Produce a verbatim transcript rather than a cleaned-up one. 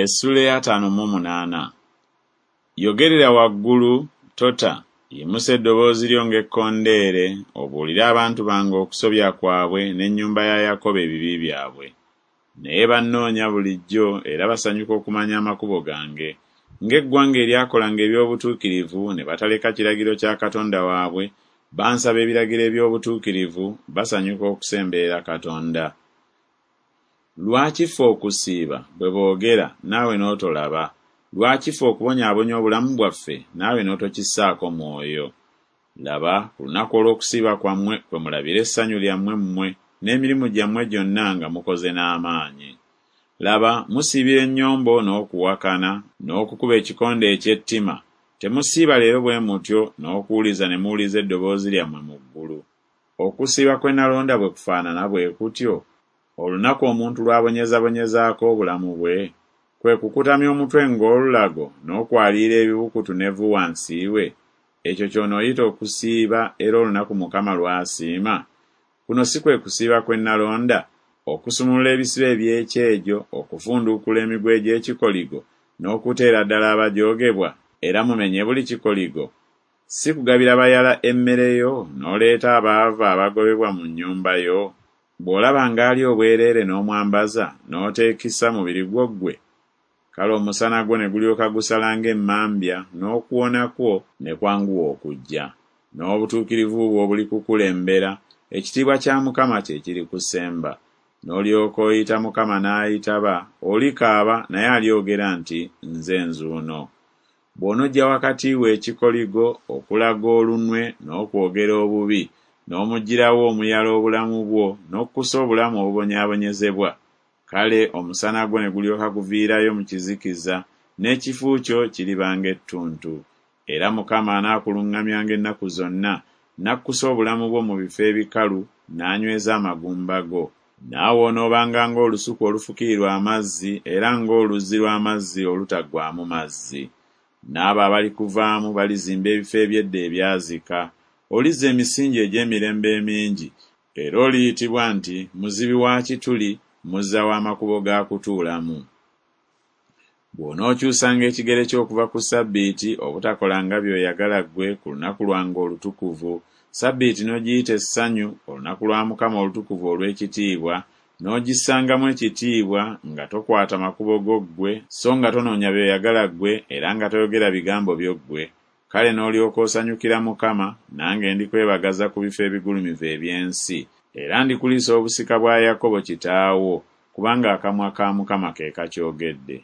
Essuula ey'ataano mu munaana. Yogerera waggulu, tota, yimusa eddoboozi lyo ng'ekkondeere, obuulire abantu bange okusobya kwabwe n'ennyumba ya Yakobo ebibi byabwe. Naye bannoonya bulijjo era basanyuka okumanya amakubo gange, ng'eggwanga eryakolanga eby'obutuukirivu ne bataleka kiragiro kya Katonda waabwe, bansaba ebiragiro eby'obutuukirivu, basanyuka okusemberera Katonda. Lwaki ffe okusiiba, bwe boogera, naawe n'otolaba? Lwaki ffe okubonyaabonya obulamu bwaffe, naawe n'otokissaako mwoyo? Laba, ku lunaku olw'okusiiba kwammwe kwe mulabira essanyu lyammwe mmwe n'emirimu gyammwe gyonna nga mukoze n'amaanyi. Laba, musiibira ennyombo n'okuwakana, n'okukuba ekikonde eky'ettima. Temusiiba leero bwe mutyo n'okuwuliza ne muwuliza eddoboozi lyammwe mu ggulu. Okusiiba kwe nalonda bwe kufaanana bwe kutyo? Olunaku omuntu lw'abonyezabonyezaako obulamu bwe? Kwe kukutamya omutwe ng'olulago n'okwaliira ebibukutu n'evvu wansi we? Ekyo ky'onooyita okusiiba era olunaku Mukama lw'asiima? Kuno si kwe kusiiba kwe nalonda, okusumulula ebisiba eby'ekyejo, okufunduukula emiguwa egy'ekikoligo, n'okuteera ddala abajoogebwa, era mumenye buli kikoligo? Si kugabira bayala emmere yo, n'oleeta abaavu abagobebwa mu nnyumba yo? Bw'olabanga ali obwereere n'omwambaza, n'oteekisa mubiri gwo ggwe? Kale omusana gwo ne gulyoka gusala ng'emmambya, n'okuwona kwo ne kwanguwa okujja. N'obutuukirivu bwo bulikukulembera, ekitiibwa kya Mukama kye kirikusemba. N'olyoka oyita Mukama n'ayitaba, olikaaba naye alyogera nti, Nze nzuuno. Bw'onoggya wakati wo ekikoligo, okulaga olunwe n'okwogera obubi, n'omuggyirawo omuyala obulamu bwo, n'okkusa obulamu obubonyaabonyezebwa, kale omusana gwo ne gulyoka guviirayo mu kizikiza, n'ekifu kyo kiriba ng'ettuntu. Era Mukama anaakuluŋŋamyanga ennaku zonna, n'akkusa obulamu bwo mu bifo ebikalu, n'anyweza amagumba go. Naawe onoobanga ng'olusuku olufukirirwa amazzi, era ng'oluzzi lw'amazzi olutaggwaamu mazzi. N'abo abalikuvaamu balizimba ebifo eby'edda ebyazika. Olizza emisingi egy'emirembe emingi, era oliyitibwa nti Muzibi wa kituli, muzza w'amakubo ga kutuulamu. Bw'onookyusanga ekigere kyo okuva ku ssabbiiti, obutakolanga by'oyagala ggwe ku lunaku lwange olutukuvu, ssabbiiti n'ogiyita essanyu, olunaku lwa Mukama olutukuvu olw'ekitiibwa, n'ogissangamu ekitiibwa, nga tokwata makubo go ggwe, so nga tonoonya by'oyagala ggwe, era nga toyogera bigambo byo ggwe, kale n'olyoka osanyukira Mukama, nange ndikwebagaza ku bifo ebigulumivu eby'ensi, era ndikuliisa obusika bwa Yakobo kitaawo, kubanga akamwa ka Mukama ke kakyogedde.